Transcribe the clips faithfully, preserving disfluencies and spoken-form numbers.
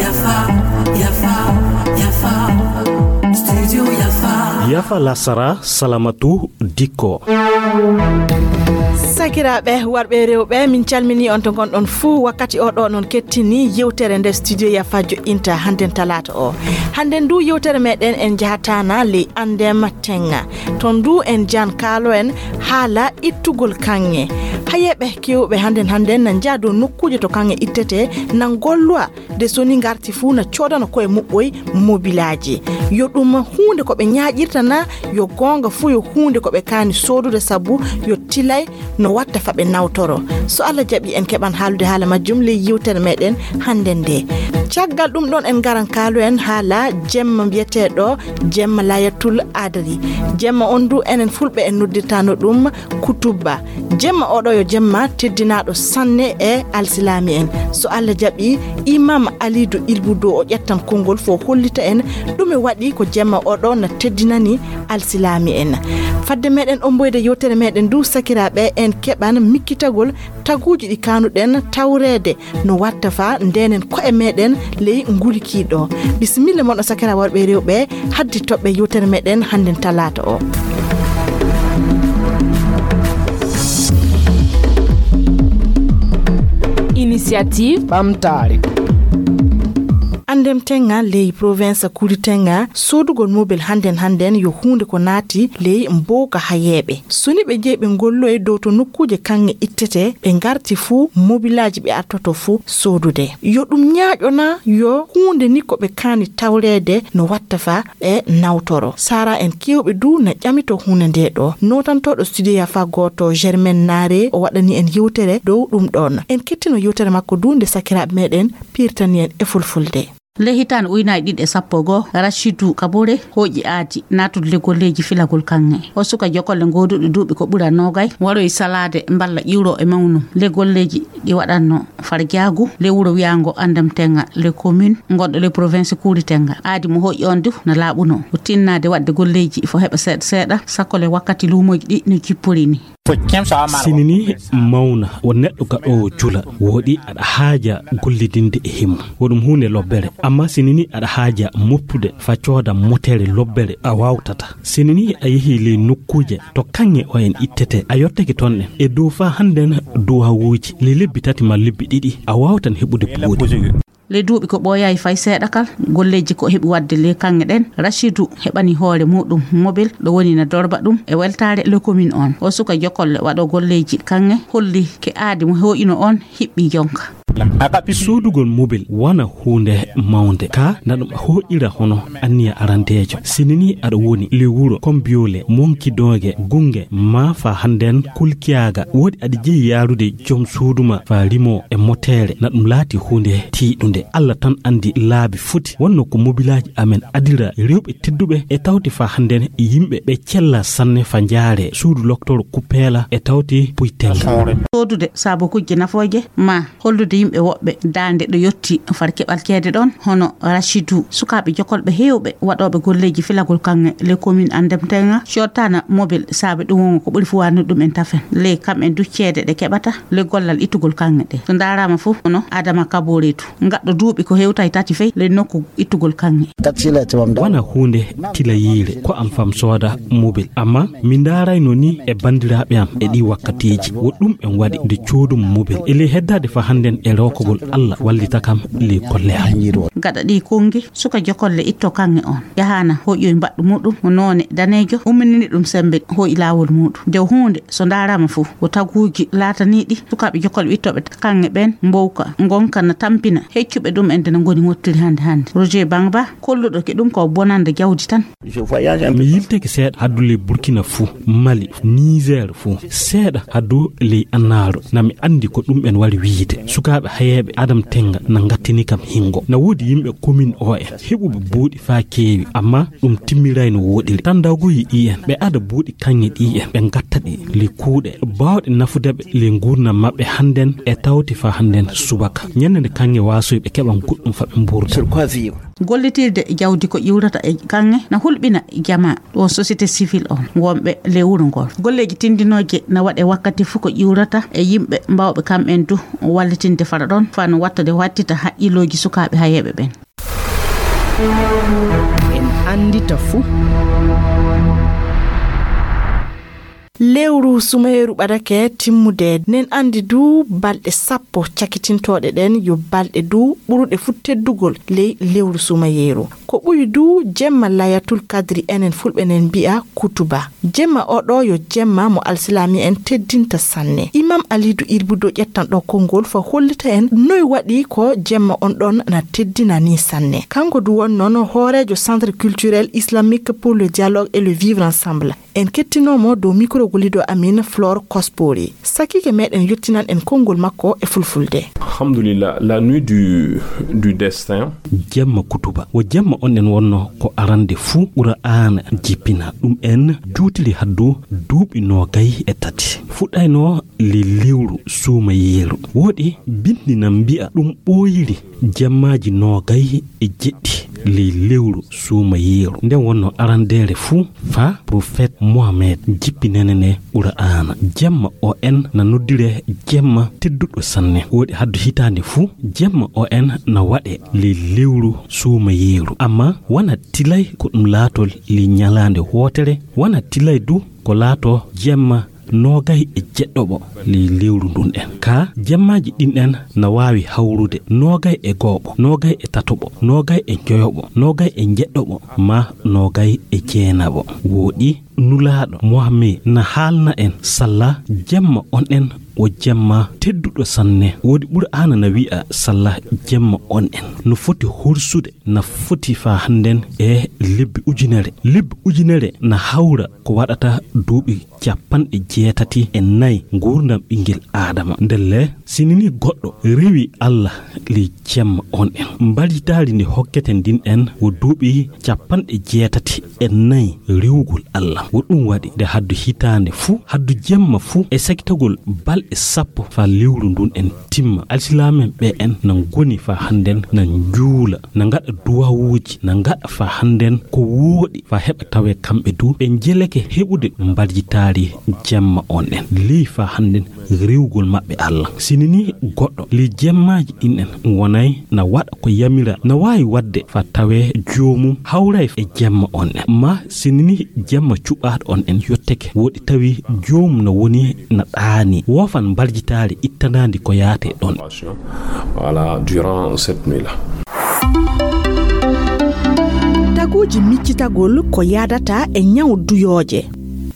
Yafa, yafa, yafa. Studio Yafa. Yafa lasara, salamatu, dikko. Sakiraaɓe, warɓe e rewɓe, min calmini on to ngonɗon fuu. Wakkati o ɗo non kettini yewtere nde Studio Yafa joɗɗinta hannden talaata o. Hannden ndu yewtere meɗen en njahataana ley Andem Tenga. Ton ndu en jan kaalo en haala ittugol kaŋŋe. Hayeeɓe keewɓe hannden hannden na njaha dow nokkuuje to kaŋŋe ittetee, na ngollowa de so ni ngarti fuu na coodana koye muɓɓoy mobilaaji. Yo ɗum huunde ko ɓe ñaaƴirta na yo goonga fuu yo huunde ko ɓe kaani soodude sabu yo tilay no watta fa ɓe nawtoro. So Allah jaɓi en keɓan haalude haala majjum ley yewtere meɗen hannden nde. Caggal ɗum ɗon en ngaran kaalo en haala jemma mbiyeteeɗo jemma Layatul Adri. Jemma on du enen fulɓe en noddirtano ɗum Kutubba. Jemma oɗo yo jemma teddinaaɗo sanne e alsilaami en. So Allah jaɓi, Imam Alidu Ilbudo o ƴettan konngol fo hollita en ɗume waɗi ko jemma oɗo na teddinani alsilaami en. Fadde meɗen omboyde yewtere meɗen du sakiraaɓe en keɓan mikkitagol taguuji ɗi kanuɗen tawreede no watta fa ndenen ko'e meɗen ley ngulkiiɗo. Bisimilla mon o sakira worɓe e rewɓe haddi toɓɓe yewtere meɗen hannden talaata o. Initiative ɓamtaare. Andem tenga ley province Kuli tenga, sodugol mobel hannden hannden yo huunde ko naati ley mbowka hayeeɓe. So ni ɓe njehi ɓe ngolloye dow to nokkuuje kaŋŋe ittete, ɓe ngarti fuu mobilaaji ɓe artoto fuu sodude. Yo ɗum ñaaƴo na yo huunde ni ko ɓe kaani tawreede no watta fa ɓe nawtoro. Sara en keewɓe du na ƴamito huunde nde ɗo. Nootantooɗo studio Yafa gooto Germaine Naare o waɗani en yewtere dow ɗum ɗon. En kettino yewtere makko du nde sakiraaɓe meɗen pirtani en e fulfulde. Ley hitaande ujunaaji ɗiɗi e sappo e goo, Rashidu Kabore hooƴi aadi naatude ley golleeji filagol kaŋŋe. O suka jokolle gooduɗo duuɓi ko ɓura noogay, waroyi salaade mballa ƴiwro e mawnum ley golleeji ɗi waɗatno farjaagu ley wuro wiyaango Andam Tenga, ley commune ngonɗo ley province Kuuri Tenga. Aadi mo hooƴi on du na laaɓuno. O tinnaade waɗde golleeji fo heɓa seeɗa seeɗa, sakko le wakkati luumooji ɗi no jippori ni. Sinini mawna, won neɗɗo gaɗoowo jula, wooɗi aɗa haaja gollidinde e himmu. Wo ɗum huunde lobbere. Amma sinini aɗa haaja moppude fa cooda motere lobbere a waawtata. Sinini a yehi ley nokkuuje to kaŋŋe o en ittete, a yottake toon ɗen. E dow fa hannden duwawuuji ley lebbi tati ma lebbi ɗiɗi, a waawtan heɓude buuɗi. Ley duuɓi ko ɓooyaay fay seeɗa kal, golleeji ko heɓi waɗde ley kaŋŋe ɗen, Rashidu heɓani hoore muuɗum mobil ɗo woni na dorba ɗum e weltaare ley commune on. O suka jokolle waɗo golleeji kaŋŋe holli ke aadi mo hooƴino on hiɓɓi jonka. Soodugol mobil wona huunde mawnde, ka na ɗum hooƴira hono anniya arandeejo. Sinini aɗa woni ley wuro Kombiyoole, Monkidooge, Gunge, ma fa hannden Kulkiyaaga, wooɗi aɗa jeyi yaarude joom suudu ma fa rimo e moteere, na ɗum laati huunde tiiɗunde. Allah tan anndi laabi foti. Wonno ko mobilaaji amen adira rewɓe tedduɓe e tawti fa hannden yimɓe ɓe cella sanne fa njaare suudu loktoro Kuppeela e tawti Puytella. Soodude saabukujje nafooje ma hollude yimɓe woɓɓe daande ɗo yotti far keɓal ceede ɗon, hono Rashidu. Sukaaɓe jokolɓe heewɓe waɗooɓe golleeji filagol kaŋŋe ley commune Andem Tenga cottana mobil saabe ɗum wongo ko ɓuri fuwaani ɗum en tafen. Ley kam en du ceede ɗe keɓata ley gollal ittugol kaŋŋe ɗe. So ndaaraama fof hono Adama Kaboretu, ngaɗɗo duuɓi ko hewtay tati fey ley nokku ittugol kaŋŋe. Wona huunde tilayiire ko am fam sooda mobil, amma mi ndaarayno ni e banndiraaɓe am e ɗii wakkatiiji. Wo ɗum en waɗi nde coodum mobil. E ley heddaade fa hannden e rookogol Allah wallita kam ley golle am. Gaɗa ɗii konngi, suka jokolle itto kaŋŋe on. Yahaana hoƴƴoy mbaɗɗu muɗum mo noone daneejo, umminini ɗum sembe hoƴi laawol muɗum. Nde huunde so ndaaraama fof, wo taguuji laataniiɗi sukaaɓe jokolɓe ittooɓe kaŋŋe ɓeen mbowka, ngonka na tampina heccuɓe ɗum en nde no ngoni ngottiri hannde hannde. Roger Bangba, kolluɗo ke ɗum ko bonande jawdi tan. Mi yilteke seeɗa haddu ley Burkina fuu, Mali, Niger fuu, seeɗa haddu ley Annaaro. Na mi anndi ko ɗum en wari wiyde. Sukaaɓe hayeeɓe Adam Tenga na ngattini kam hingo. Na woodi yimɓe komin o en heɓuɓe buuɗi faa keewi, amma ɗum timmiray no wooɗiri. Tan dawgoyi ɗi en, ɓe ada buuɗi kaŋŋe ɗi en, ɓe ngatta ɗi ley kuuɗe baawɗe nafude ɓe ley nguurndam maɓɓe hannden e tawti faa hannden subaka. Ñannde nde kaŋŋe waasoyi ɓe keɓan goɗɗum faa ɓe mbuurda. Sur quoi vivre? Gollitirde jawdi ko ƴiwrata e kaŋŋe na hulɓina jamaa, ɗo société civile on, wonɓe lewru ngon. Golleeji tindinooje na waɗe wakkati fuu ko ƴiwrata e yimɓe mawɓe kamɓen du wallitinde fara ɗon, fano wattade wattita haqqillooji sukaaɓe hayeeɓe ɓen. En anndita fuu. Lewru sumayeeru ɓadake timmude, nen anndi du balɗe sappo cakitintooɗe ɗen yo balɗe du ɓuruɗe fuu teddugol ley lewru sumayeeru. Ko ɓuri du jemma Layatul Kadri, enen fulɓe nen mbi'a kutuba. Jemma o ɗo yo jemma mo alsilaami en teddinta sanne. Imam Alidu Irbudo ƴettan ɗo konngol fa hollita en noy waɗi ko jemma on ɗon na teddina ni sanne. Kanko du won non hooreejo Centre Culturel Islamique pour le Dialogue et le Vivre Ensemble. En kettinoo mo dow mikro gollido amin Flore Kospori. Sakiike meɗen yottinan en konngol makko e fulfulde. Alhamdulillah, la nuit du, du destin. Jemma kutuba. Wo jemma on en wonno ko arande fuu Qur'aana jippina. Ɗum en juutiri haddu duuɓi noogay e tati. Fuɗɗayno li lewru suumayeeru. Woɗi binndi na mbi'a ɗum ɓooyiri jemmaaji noogay e jeɗɗi ley lewru suumayeeru. Nden wonno arandeere fuu fa Profet Mohamed jippinene ne Qur'aana. Jemma o en na noddire jemma tedduɗo sanne. Woɗi haddu hitaande fuu, jemma o en na waɗe ley lewru suumayeeru. Amma wana tilay ko ɗum laatol ley ñalaande wootere, wana tilay du ko laato jemma noogay e jeɗɗoɓo ley lewru ndun en. Ka jemmaaji ɗin en na waawi hawrude noogay e gooɓo, noogay e tatoɓo, noogay e njoyoɓo, noogay e jeɗɗoɓo, ma noogay e jeenaɓo. Woɗi Nulaaɗo Muhammed na haalna en salla jemma on en o jemma tedduɗo sanne. Woɗi Qur'aana na wi'a salla jemma on en no foti horsude, na foti faa hannden e lebbi ujunere. Lebbi ujunere na hawra ko waɗata duuɓi capanɗe jeetati e nay nguurndam ɓinngel Aadama. Ndelle, sinini goɗɗo rewi Allah ley jemma on en. Mbarijitaari ndi hokketen ndin en wo duuɓi capanɗe jeetati e nay rewugol Allah. Wo ɗum waɗi nde haddu hitaande fuu, haddu jemma fuu e sakitagol balɗe sappo faa lewru ndun en timma. Alsilaamen ɓe en na ngoni faa hannden na njuula, na ngaɗa duwawuuji, na ngaɗa faa hannden ko wooɗi faa heɓa tawee kamɓe du ɓe njeleke heɓude mbarijitaari jemma on en. Ley faa hannden rewugol maɓɓe Allah. Sinini goɗɗo ley jemmaaji ɗin en wonay na waɗa ko yamira, na waawi waɗde faa tawee joomum hawray e jemma on en. Ma sinini jemma cuɓaaɗo on en yotteke, woɗi tawi joomum na woni na ɗaani, woofan mbarijitaari ittanaandi ko yaate ɗon. Voilà, durant cette nuit-là. Taguuji miccitagol ko yaadata e ñaw duyooje.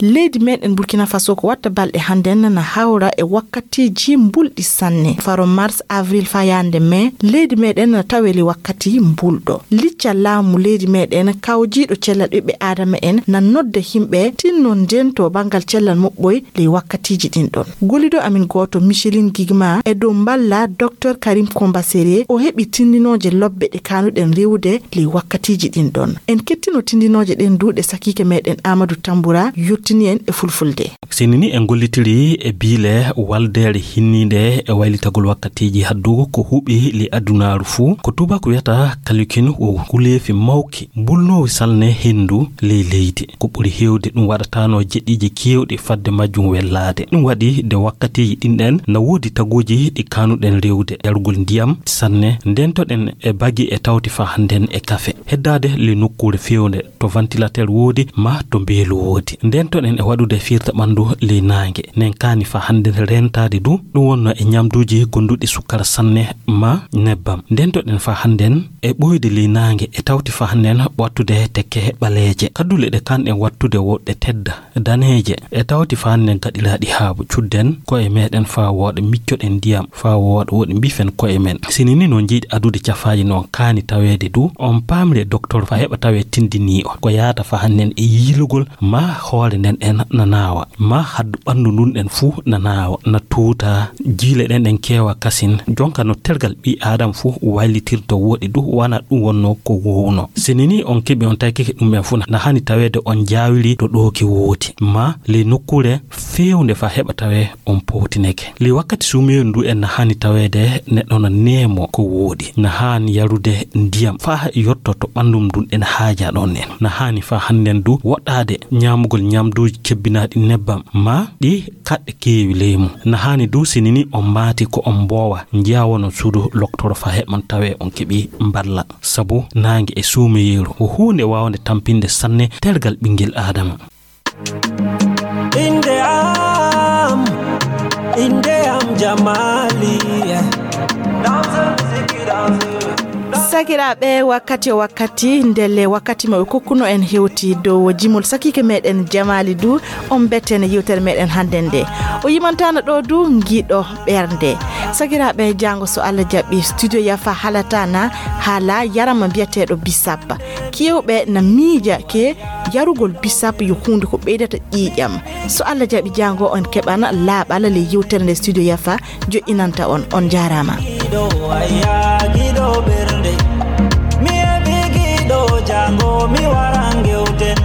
Leydi meɗen Burkina Faso ko watta balɗe hannden na hawra e wakkatiiji mbulɗi sanne. Faro mars, avril faa yaande mai, leydi meɗen na taweli wakkati mbulɗo. Liccal laamu leydi meɗen kawjiiɗo cellal ɓiɓɓe Aadama en na nodda himɓe tinno ndento banngal cellal muɓɓoy ley wakkatiiji ɗin ɗon. Gollido amin gooto, Micheline Gigma, e dow mballa Docteur Karim Kombasere, o heɓi tindinooje lobbe ɗe kaanuɗen rewude ley wakkatiiji ɗin ɗon. En kettino tindinooje ɗen du ɗe sakiike meɗen Amadou Tambura yottini en e fulfulde. Sinini en gollitiri e biile waldeere hinniinde e waylitagol wakkatiiji haddu ko huɓi ley adunaaru fuu. Ko tubaako wiyata kalikin wo nguleefi mawki mbulnoowi salne henndu ley leydi. Ko ɓuri heewde ɗum waɗataano jeɗɗiiji keewɗi fadde majjum wellaade. Ɗum waɗi nde wakkatiiji ɗin ɗen na woodi taguuji ɗi kaanuɗen rewde, yargol ndiyam sanne, ndentoɗen e bagi e tawti faa hannden e kafe. Heddaade ley nokkuure feewnde to ventilateur woodi ma to mbeelu woodi. Ndentoɗen e waɗude fiirta ɓanndu ley naange. Nen kaani faa hannden reentaade du, ɗum wonno e ñamduuji gonduɗi sukkara sanne ma nebbam. Ndentoɗen faa hannden e ɓooyde ley naange e tawti faa hannden wattude tekke ɓaleeje. Kaddule ɗe kaanɗen wattude wo ɗe tedda, daneeje, e tawti faa hannden gaɗiraaɗi haabu. Cudden ko'e meɗen faa wooɗa, miccoɗen ndiyam faa wooɗa, woɗi mbifen ko'e men. Sinini no njiɗi adude cafaaji no kaani taweede du, on paamire doktor faa heɓa tawee tindinii on ko yaata faa hannden e yiilugol ma hoore nden en na naawa. Ma haddu ɓanndu ndun ɗen fuu na naawa, na tuuta, jiile ɗen ɗen keewa kasin. Jonka no tergal ɓii Aadama fuu waylitirto wooɗi du, wanaa ɗun wonnoo ko woowunoo. Si ni nii on keɓi on taykike ɗun ɓen fuu, na haani taweede on jaawiri to ɗooki wooti, ma ley nokkuure feewnde faa heɓa tawee on powtineke. Ley wakkati suumeyeeru ndu en na haani taweede neɗɗo na neemoo ko wooɗi. Na haani yarude ndiyam faa yotto to ɓanndum ndun en haajaa ɗon en. Na haani faa hannden du woɗɗaade ñaamugol ñaamduuji cebbinaaɗi nebbam, ma ɗi kaɗɗe keewi ley mum. Na haani du si ni nii on maati ko on mboowa, njiyaa won on suudu loktoro faa heɓon tawee on keɓii mballa. Sabu naange e suumeyeeru ko huunde waawnde tampinde sanne tergal ɓinngel Aadama. Innde am, innde am Jamaali. Sakiraaɓe, wakkati o wakkati, ndelle wakkati mo ɓe kokkuno en hewti dow jimol sakiike meɗen Jamaali du, on bettene yewtere meɗen hannden nde. O yimantaana ɗo du ngiɗo ɓernde. Sakiraaɓe, jaango so Allah jaɓi, Studio Yafa halataana haala yarama mbiyateeɗo bisap. Keewɓe na miija ke yarugol bisap yo huunde ko ɓeydata ƴiiƴam. So Allah jaɓi, jaango on keɓana laaɓal ley yewtere nde Studio Yafa joƴƴinanta on. On njaaraama. Giɗo, ayya, giɗo ɓernde. Mi heɓi giɗo, jaango mi wara ngewten.